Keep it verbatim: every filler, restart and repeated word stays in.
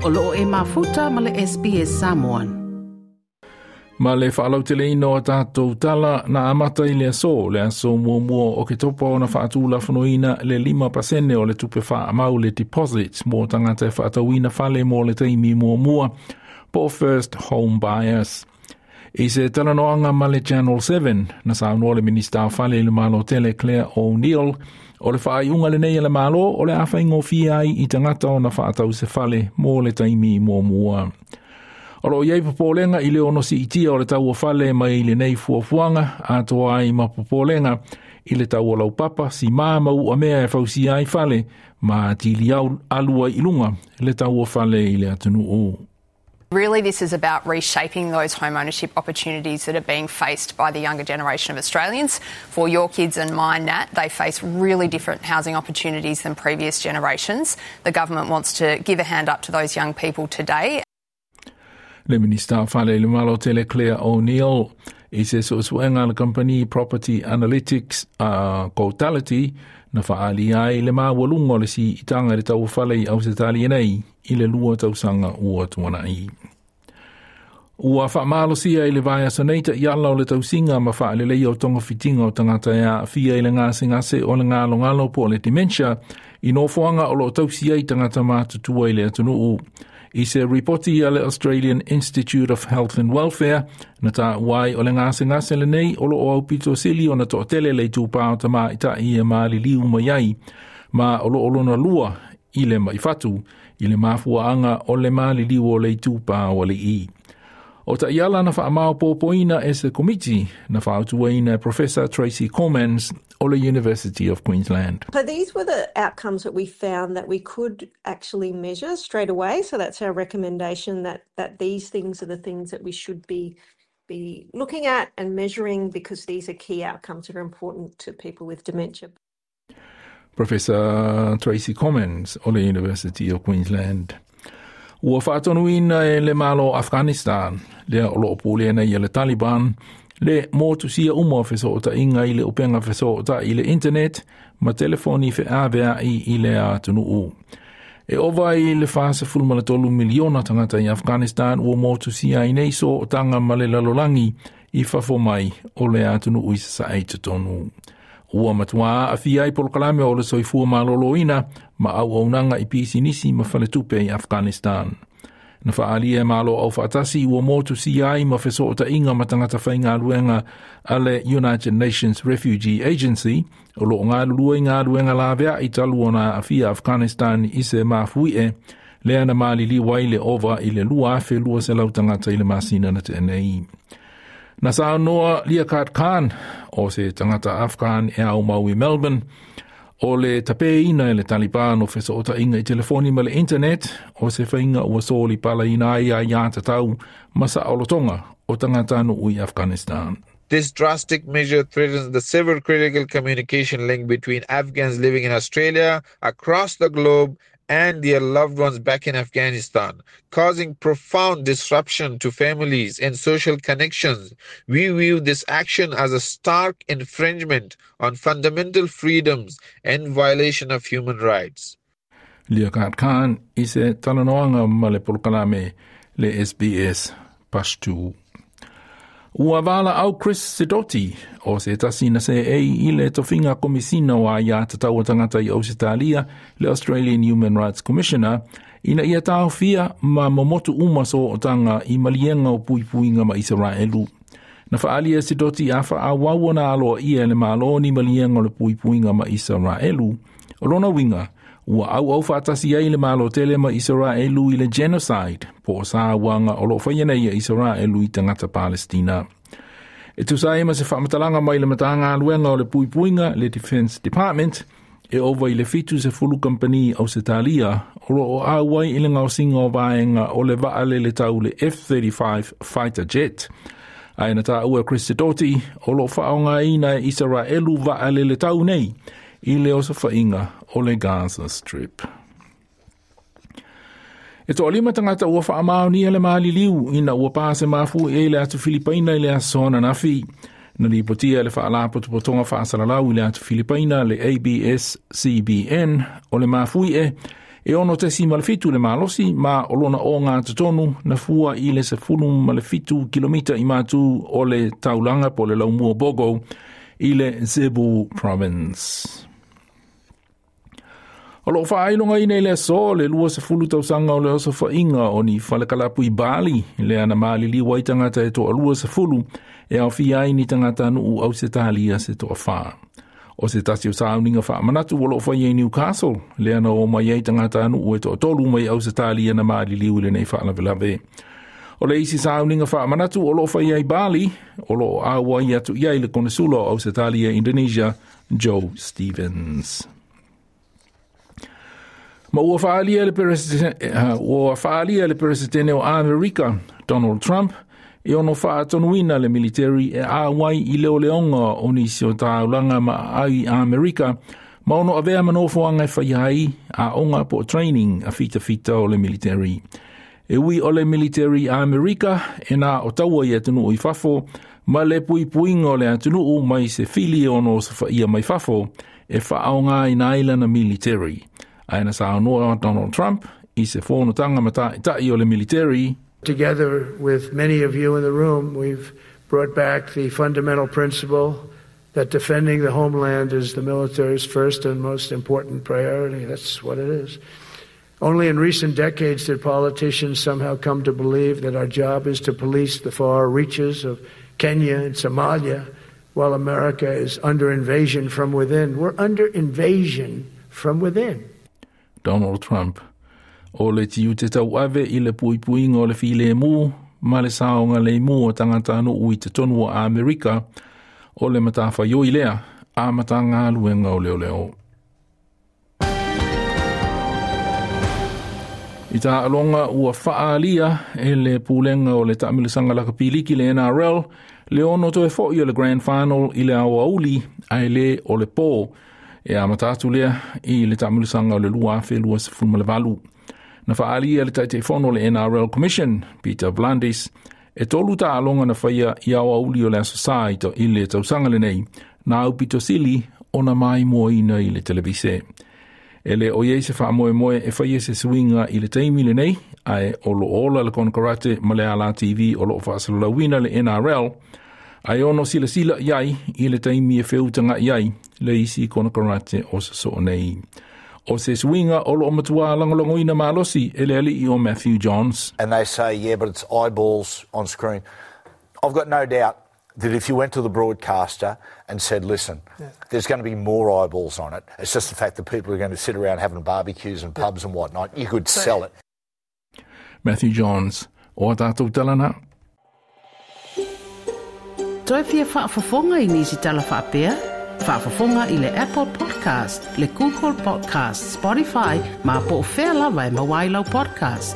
O loo e mafuta ma le S B S Samoan. Ma le whaalauteleina o tātou tala na amata i le aso, le aso muamua o ke topa o na whaatūlafonoina le lima pasene o le tupe whaamau le deposit mō tangata e whaatauina fale mō le taimi muamua po first home buyers. I se talanoanga ma le Channel seven, na saunoa le Minista o Fale i le Malo Tele Claire O'Neill, o le whaaiunga le nei le malo o le awhaingofia ai i tangata o na whaatau se fale mō le taimi muamua. O lo iai popolenga i le ono si itia o le tau o fale mai i le nei fuafuanga, atoa ai ma popolenga i le tau o laupapa si maa mau a mea e fausia ai fale, ma tili au alua i lunga le tau o fale i le atunuu. Really, this is about reshaping those home ownership opportunities that are being faced by the younger generation of Australians. For your kids and mine, Nat, they face really different housing opportunities than previous generations. The government wants to give a hand up to those young people today. Le Minista Fale le Malo Tele Claire O'Neill i se suesuega le company Property Analytics uh, Cotality na whaali ai le mawalunga o le si itanga le tau whale i Ausetalia nei i le lua tausanga ua tuanai. Ua whaamalosia i le vaea soneita i ala o le tausinga ma whaalelei o tonga fitinga o tangata ea fia i le ngase ngase o le ngalo ngalo po le dementia i nofoanga o lo tausia i tangata mātutua i le atunuu. I se ripoti a le Australian Institute of Health and Welfare, na tā uai o le ngase ngase le nei o lo o aupito sili o na to'atele le tūpā o tamā i tā ia maali liu mai ai, ma o lo o lona lua i le maifatu, i le mafuaanga o le maali liu o le tūpā o le i. O ta iala na whaamao pōpoina e se komiti, na whaautuaina Professor Tracy Cormans o le University of Queensland. So these were the outcomes that we found that we could actually measure straight away. So that's our recommendation that, that these things are the things that we should be, be looking at and measuring, because these are key outcomes that are important to people with dementia. Professor Tracy Cormans o le University of Queensland. Ua whaatonuina e le malo Afghanistan, lea o loo pulea ia le Taliban, le motusia uma o fesoota inga i le upenga fesoota i le internet, ma telefoni fe avea i i le atunuu. E ova i le whasa fulma le tolu miliona tangata i Afghanistan ua motusia i nei so o tanga ma le lalolangi i fafo mai o le atunuu i sa e tonu. Ua matua a fia i polokalame o le soifua maloloina ma au aunanga i pisinisi ma faletupe i Afghanistan. Na whaalia e malo au whaatasi ua motu si ai ma fesoota inga ma tangata whaingaluenga a le United Nations Refugee Agency o lo ngā lua i ngā luenga lavea i talu ona a fia Afghanistan i se mafui e lea na malili wai le ova i le lua afe lua se lau tangata i le masina na te nei. Na saunoa Liaquat Khan, o se tangata Afghan e au mau i Melbourne, o le tapeina e le Taliban o fesoota inga i telefoni ma le internet, o se whainga ua soli pala ina ai ai atatau ma sa olotonga o tangata no ui Afghanistan. This drastic measure threatens the several critical communication link between Afghans living in Australia, across the globe, and their loved ones back in Afghanistan, causing profound disruption to families and social connections. We view this action as a stark infringement on fundamental freedoms and violation of human rights. Liaquat Khan i se talanoanga ma le polokalame le S B S Pashtu. Ua wala au Chris Sidoti, o se tasi na se e i le tofinga komisina wa ia tataua tangata i Ausitalia, le Australian Human Rights Commissioner, ina ia tāwhia ma momotu uma so o tanga i malienga o puipuinga ma Israelu. Na whaalia Sidoti a wha na aloa ia le maloni malienga o le puipuinga ma Israelu, o lona winga, ua au au whaatasi ai le malo tele ma Israelu i le genocide, po sa wanga o lo whaiana ia Israelu i tangata Palestina. E tusa ma se whamatalanga mai le matanga aluenga o le puipuinga le Defense Department, e ova i le fitu se fulu company au Setalia, o lo o auai i le ngausinga o vaenga o le vaale le tau le F thirty-five fighter jet. Ai na tā ua Chris Sidoti, o lo whaonga ina e Israelu vaale le tau nei, i le osawhainga o le Gaza Strip. E toa lima tangata ua whaamaonia le maaliliu ina ua pāse mafu e le atu Filipaina i le asona nafi. Na lipotia le whaalapotopotonga whaasalalau i le atu Filipaina le A B S C B N o le mafui e E ono tesima le fitu le malosi ma o lona o ngā totonu na fua i le sefulu ma le fitu kilomita i matu o le taulanga po le laumua Bogo i le Zebu Province. O loo whaailonga ina i le aso le lua sefulu tausanga o le osofainga o ni whalekalapu i Bali le ana maaliliwa i tangata e toa lua sefulu e au fia ai ni tangata nuu au se talia se toa wha. O se tasi o sauninga whaamanatu o loo whai i Newcastle le ana o mai ai tangata nuu e toa tolu mai au se talia na maaliliu i le nei whaalawelawe. O le isi sauninga whaamanatu o loo whai ai Bali o loo awa i atu iai le konesula o Ausetalia Indonesia Joe Stevens. Ma ua whaalia le ua le presidente o Amerika, Donald Trump, e ono whaatonuina le military e āwai i leo leonga o nisi o tāulanga ma ai Amerika, ma ono avea manofoanga e whai ai a onga po training a fita fita o le military. E ui o le military Amerika e nā o taua i atunu i fafo, ma le pui puinga o le atunu mai se fili ono sa whaia mai fafo e whaonga i naila na military. Aina sa anoa Donald Trump i se whonotanga mata i o le military. Together with many of you in the room, we've brought back the fundamental principle that defending the homeland is the military's first and most important priority. That's what it is. Only in recent decades did politicians somehow come to believe that our job is to police the far reaches of Kenya and Somalia while America is under invasion from within. We're under invasion from within. Donald Trump. O le tiu te tau ave i le puipuinga o le file mu, ma le saonga le mu o tangata anu ui te tonu o Amerika, o le matawha yoi lea, a matanga luenga o leo leo. I tā alonga ua whaalia e le pūlenga o le taamilisanga lakapiliki le N R L, le ono toe foi o le Grand Final i le aoauli ai le o le pō. E a matatu lea i le taamilisanga o le lua afe lua sefulu ma le valu. Na whaalia le taitaifono le N R L Commission, Peter Vlandis, e tolu tā alonga na whaia i aoauli o le aso sa i, to, i le tausanga le nei, nā upito sili o na mai moina i le televise. E le oiei se wha moe moe e whaia se suinga i le teimi le nei, ae o lo ola le konkarate ma le ala T V o lo whaasalalauina le N R L, ae ono sila sila iai i le teimi e feutanga iai le isi konokarate o sa so nei. O se suinga o lo matua langolongoina malosi e le ali'i o Matthew Johns. And they say, yeah, but it's eyeballs on screen. I've got no doubt that if you went to the broadcaster and said, listen, yeah, there's going to be more eyeballs on it. It's just the fact that people are going to sit around having barbecues and pubs and whatnot. You could sell it. Matthew Johns, o tātou talana. Toi fia whaafafonga i nisi tala whaapea? Whaafafonga i le Apple Podcast, le Google Podcast, Spotify, ma po o whea lawa e mawailau podcast.